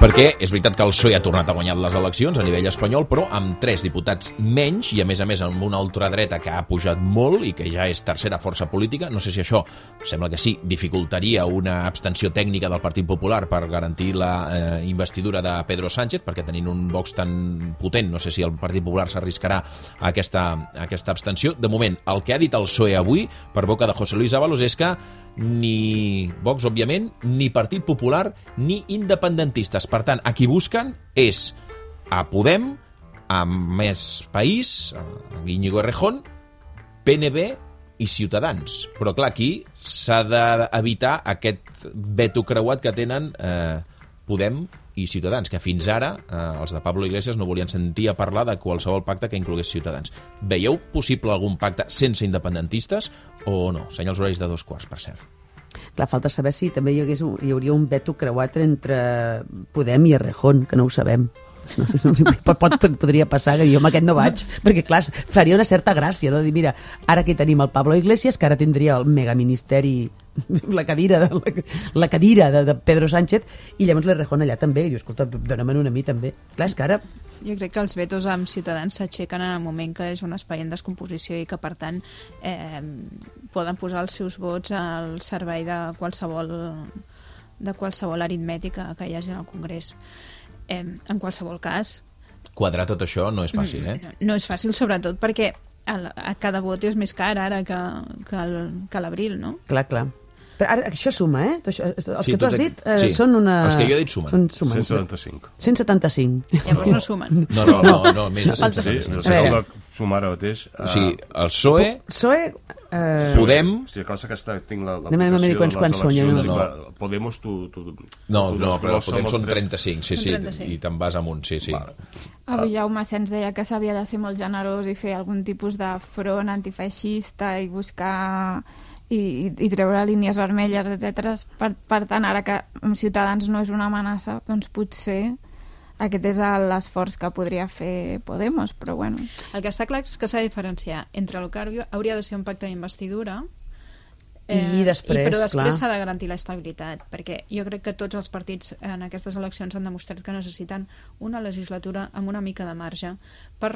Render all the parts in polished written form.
Perquè és veritat que el PSOE ha tornat a guanyar les eleccions a nivell espanyol, però amb 3 diputats menys i a més amb una ultradreta que ha pujat molt i que ja és tercera força política. No sé si això, sembla que sí, dificultaria una abstenció tècnica del Partit Popular per garantir la investidura de Pedro Sánchez, perquè tenint un Vox tan potent, no sé si el Partit Popular s'arriscarà a aquesta abstenció. De moment, el que ha dit el PSOE avui, per boca de José Luis Ábalos, és que ni Vox, òbviament, ni Partit Popular, ni independentistes. Per tant, a qui busquen és a Podem, a Més País, a Íñigo Errejón, PNB i Ciutadans. Però, clar, aquí s'ha d'evitar aquest veto creuat que tenen Podem i Ciutadans, que fins ara els de Pablo Iglesias no volien sentir a parlar de qualsevol pacte que inclogués Ciutadans. Veieu possible algun pacte sense independentistes o no? Senyals horaris de 2:15, per cert. Clar, falta saber si també hi hauria un veto creuat entre Podem i Errejón, que no ho sabem. Podria passar que jo amb aquest no vaig, perquè clar, faria una certa gràcia, no? Dir, mira, ara aquí tenim el Pablo Iglesias, que ara tindria el megaministeri, la cadira de Pedro Sánchez, i llavors l'Errejón allà també. I jo, escolta, dóna-me'n una a mi també. Clar, és que ara... Jo crec que els vetos amb Ciutadans s'aixequen en el moment que és un espai en descomposició i que, per tant, poden posar els seus vots al servei de qualsevol aritmètica que hi hagi en el Congrés. En qualsevol cas... Quadrar tot això no és fàcil, No és fàcil, sobretot perquè cada vot és més car ara que l'abril, no? Clar. Però ara això suma, Els que tu has dit són una... Els que jo he dit sumen. 175. 175. Llavors no sumen. No, més de 175. Sí, no sé com sumar ara mateix. O sigui, el PSOE... Podem... O sigui, que tinc Anem a dir quants són. Podemos, tu... No, però Podem són 35, sí, i te'n vas amunt, sí. Avui Jaume Asens deia que s'havia de ser molt generós i fer algun tipus de front antifeixista i buscar... I treure línies vermelles, etc. Per tant, ara que Ciutadans no és una amenaça, doncs potser aquest és l'esforç que podria fer Podemos, però bueno. El que està clar és que s'ha de diferenciar entre el que hauria de ser un pacte d'investidura però després s'ha de garantir l'estabilitat, perquè jo crec que tots els partits en aquestes eleccions han demostrat que necessiten una legislatura amb una mica de marge per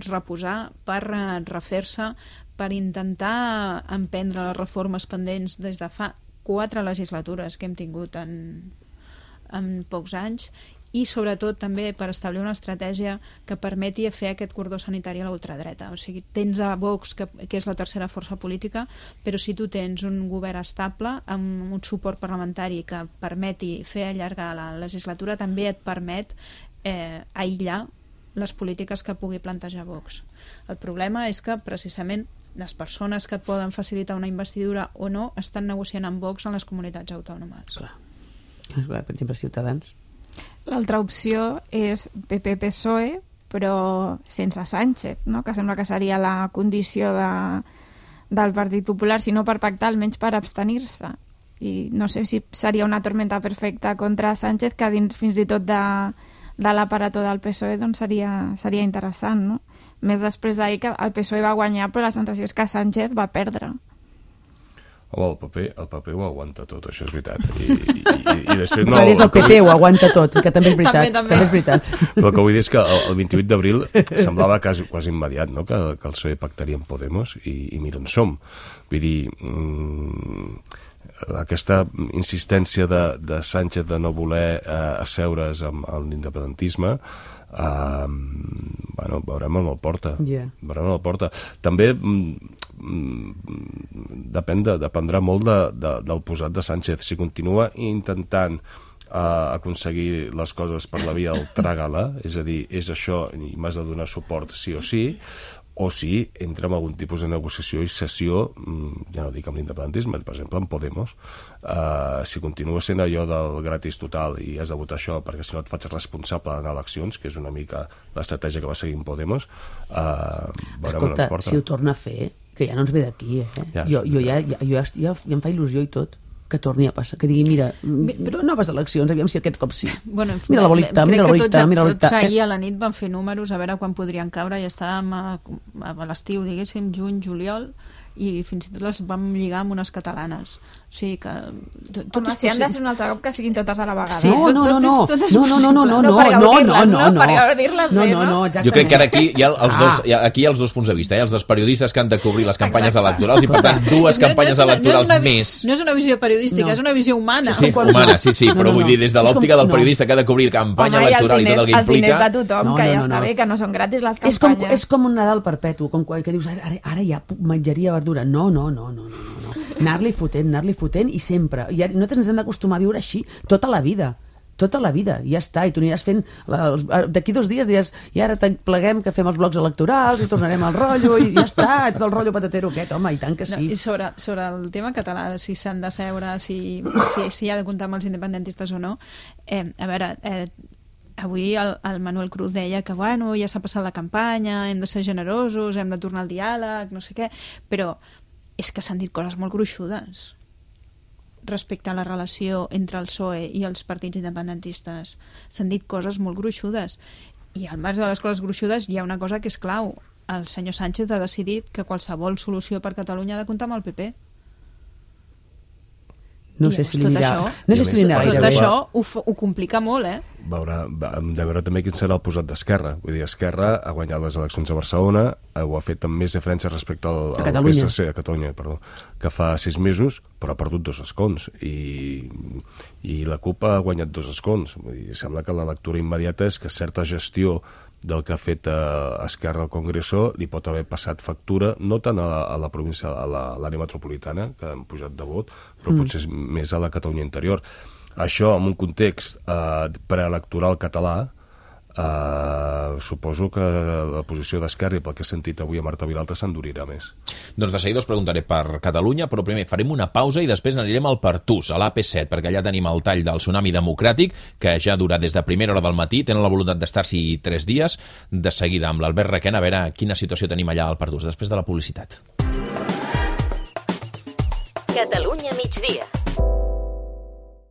reposar, per refer-se, per intentar emprendre les reformes pendents des de fa 4 legislatures que hem tingut en pocs anys, i sobretot també per establir una estratègia que permeti fer aquest cordó sanitari a la ultradreta. O sigui, tens a Vox, que és la tercera força política, però si tu tens un govern estable amb un suport parlamentari que permeti fer allargar la legislatura, també et permet aïllar les polítiques que pugui plantejar Vox. El problema és que precisament les persones que et poden facilitar una investidura o no estan negociant amb Vox en les comunitats autònomes. Clar, per exemple, Ciutadans. L'altra opció és PP-PSOE, però sense Sánchez, no? Que sembla que seria la condició del Partit Popular, si no per pactar, almenys per abstenir-se. I no sé si seria una tormenta perfecta contra Sánchez, que dins fins i tot de l'aparato del PSOE doncs seria interessant, no? Més després d'ahir que el PSOE va guanyar, però la sensació és que Sánchez va perdre. Home, el paper ho aguanta tot, això és veritat. I després no... És el PP ho aguanta tot, que també és veritat. També és veritat. Però el que vull dir és que el 28 d'abril semblava quasi immediat, no?, que el PSOE pactaria amb Podemos i mira on som. Vull dir, aquesta insistència de Sánchez de no voler asseure's amb l'independentisme, veurem on el porta. També dependrà molt del posat de Sánchez. Si continua intentant aconseguir les coses per la via del trágala, és a dir, és això i m'has de donar suport sí o si entra en algun tipus de negociació i cessió, ja no dic amb l'independentisme, per exemple, amb Podemos. Si continua sent allò del gratis total i has de votar això perquè si no et faig responsable en eleccions, que és una mica l'estratègia que va seguir en Podemos, veurem on ens porta. Si ho torna a fer, que ja no ens ve d'aquí, jo ja em fa il·lusió i tot que torni a passar, que digui, mira, però noves eleccions, aviam si aquest cop sí. Bueno, mira la bolita, tots ahir a la nit van fer números a veure quan podrien caure i estàvem a l'estiu, diguéssim, juny, juliol, i fins i tot les vam lligar amb unes catalanes. O sigui que... Home, si han de ser un altre cop que siguin totes a la vegada. Sí, no, per gaudir-les bé, no? Jo crec que ara aquí hi ha els dos punts de vista, els dels periodistes que han de cobrir les campanyes electorals i per tant dues campanyes electorals més. No és una visió periodística, és una visió humana. Sí, humana, sí, però vull dir, des de l'òptica del periodista que ha de cobrir campanya electoral i tot el que implica... Els diners de tothom, que ja està bé, que no són gratis les campanyes. És com un Nadal perpetu, com que dius, ara hi ha menjaria verdura. No. Anar-li fotent i sempre. I nosaltres ens hem d'acostumar a viure així tota la vida, i ja està, i tu aniràs fent d'aquí 2 dies diràs, i ara pleguem que fem els blocs electorals i tornarem al rotllo i ja està, tot el rotllo patatero aquest, home, i tant que sí. I sobre el tema català, si s'han de seure, si ha de comptar amb els independentistes o no, a veure, avui el Manuel Cruz deia que bueno, ja s'ha passat la campanya, hem de ser generosos, hem de tornar al diàleg, no sé què, però és que s'han dit coses molt gruixudes respecte a la relació entre el PSOE i els partits independentistes. S'han dit coses molt gruixudes. I al marge de les coses gruixudes hi ha una cosa que és clau. El senyor Sánchez ha decidit que qualsevol solució per Catalunya ha de comptar amb el PP. No sé si li anirà gaire bé. Tot això ho complica molt, Hem de veure també quin serà el posat d'Esquerra. Vull dir, Esquerra ha guanyat les eleccions a Barcelona, ho ha fet amb més diferència respecte al PSC, a Catalunya, que fa 6 mesos, però ha perdut 2 escons. I la CUP ha guanyat 2 escons. Vull dir, sembla que la lectura immediata és que certa gestió del que ha fet Esquerra al Congreso li pot haver passat factura, no tant a la província, a l'àrea metropolitana, que han pujat de vot, però potser més a la Catalunya interior. Això, en un context preelectoral català, suposo que la posició d'Esquerra, i pel que he sentit avui a Marta Vilalta, s'endurirà més. Doncs de seguida us preguntaré per Catalunya, però primer farem una pausa i després anirem al Pertús, a l'AP7, perquè allà tenim el tall del tsunami democràtic, que ja dura des de primera hora del matí, tenen la voluntat d'estar-s'hi 3 dies. De seguida, amb l'Albert Requena, a veure quina situació tenim allà al Pertús, després de la publicitat. Catalunya migdia.